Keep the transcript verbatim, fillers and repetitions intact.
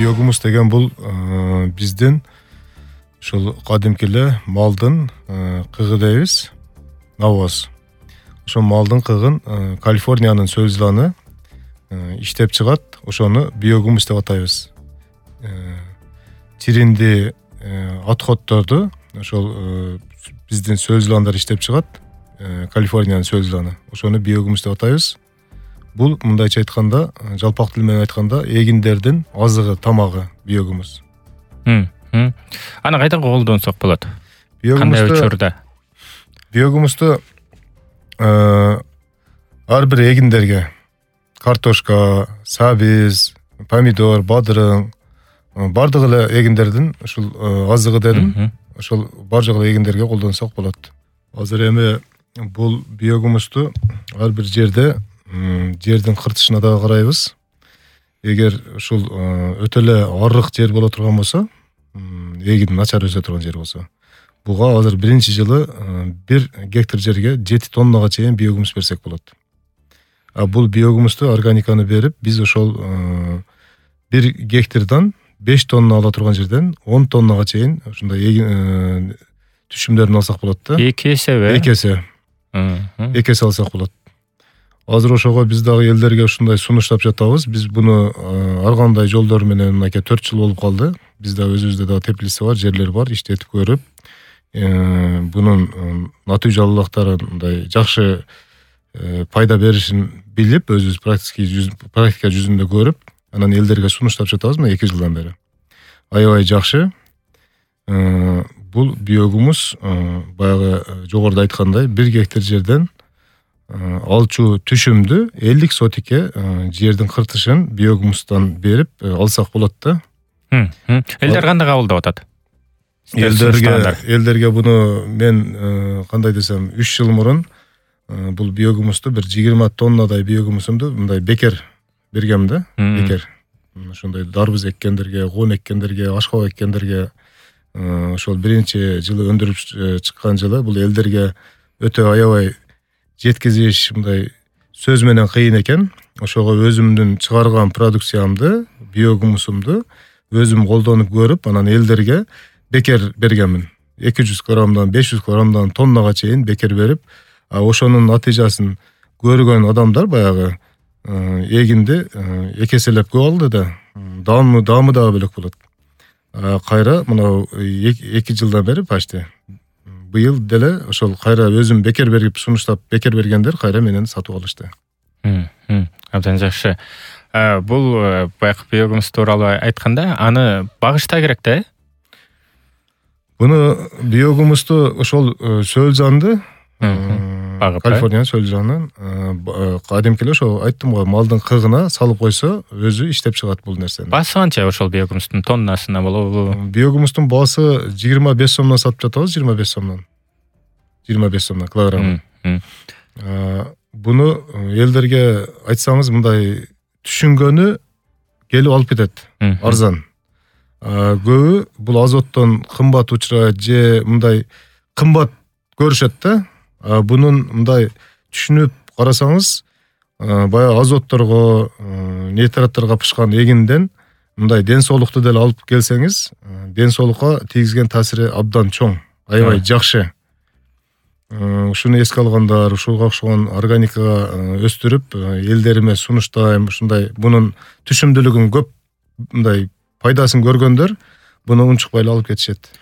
Биогумус деген бул биздин ушул кадимки эле малдын кыгы дейбиз, навоз. Ошол малдын кыгын Калифорниянын сөлзланы иштеп чыгат, ошону биогумус деп атайбыз. Тиринди отходдорду ошол биздин сөлзландар иштеп чыгат, Калифорниянын сөлзланы. Ошону биогумус деп атайбыз. Бул мындайча айтканда, жалпак тил менен айтканда, эгиндердин азыгы, тамагы биогумус. Аны кайда колдонсок болот? Кандай учурда? Биогумусту ар бир эгиндерге картошка, сабиз, помидор, бадырың, бардык эле эгиндердин ушул азыгы дедим. Ошол бардык эле эгиндерге колдонсок болот. Азыр эми бул биогумусту ар бир жерде жердин кыртышына дагы карайбыз. Эгер ушул өтө эле арык жер боло турган болсо, эгин начар өсө турган жер болсо, буга азыр биринчи жылы бир гектар жерге жети тоннага чейин биогумус берсек болот. А бул биогумусту, органиканы берип, биз ошол бир гектардан беш тонна ала турган жерден он тоннага чейин ушундай эгин түшүмдөрүн алсак болот да. Эки эсеби? Эки эсе. Эки эсе алсак болот. Азыр ошого биз дагы элдерге ушундай сунуштап жатабыз. Биз буну ар кандай жолдор менен мынакей төрт жыл болуп калды. Бизде өзүбүздө дагы теплица бар, жерлер бар, иштетип көрүп, бунун натыйжалуулуктарын жакшы пайда беришин билип, өзүбүз практика жүзүндө көрүп, анан элдерге сунуштап жатабыз мына эки жылдан бери. Аябай жакшы. Бул биогумус баягы жогоруда айткандай бир гектар жерден алчу түшүмдү элдик сотикке жердин кыртышын биогумустан берип алсак болот да. Элдер кандай кабылдап атат? Элдерге элдерге буну мен кандай десем, үч жыл мурун бул биогумусту бир жыйырма тоннадай биогумусумду мындай бекер бергем да, бекер. Ошондой дарбыз эккендерге, коон эккендерге, ашкабак эккендерге ошол биринчи жылы өндүрүп чыккан жылы бул элдерге өтө аябай жеткизиш мындай сөз менен кыйын экен. Ошого өзүмдүн чыгарган продукциямды, биогумусумду өзүм колдонуп көрүп, анан элдерге бекер бергенмин. эки жүз граммдан беш жүз граммдан тоннага чейин бекер берип, ошонун натыйжасын көргөн адамдар баягы эгинди эки эселеп көп алды да, даамы даамы дагы бөлөк болот. Кайра мына эки жылдан бери почти быйыл деле ошол кайра өзүм бекер берип сунуштап бекер бергендер кайра менен сатып алышты. Абдан жакшы. Бул баягы биогумус тууралуу айтканда, аны багышта керек да? Буну биогумусту ошол сөлзанды, Калифорниянын сөлзанын кадимки эле ошо айттым го, малдын кыгына салып койсо, өзү иштеп чыгат бул нерсени. Баасы канча ошол биогумустун тоннасына болобу? Биогумустун баасы жыйырма беш сомдон сатып жатабыз, жыйырма беш сомдон. жыйырма беш сомдон килограмм. Буну элдерге айтсаңыз, мындай түшүнгөнү келип алып кетет, арзан. Көбү бул азоттон кымбат учурайт же мындай кымбат көрүшөт да. Бунун мындай түшүнүп карасаңыз, баягы азотторго, нитраттарга пышкан эгинден мындай ден соолукту деле алып келсеңиз, ден соолукка тийгизген таасири абдан чоң, аябай жакшы. Ушуну эске алгандар, ушуга окшогон органикага өстүрүп, элдериме сунуштайм, ушундай бунун түшүмдүүлүгүн көп мындай пайдасын көргөндөр буну унчукпай эле алып кетишет.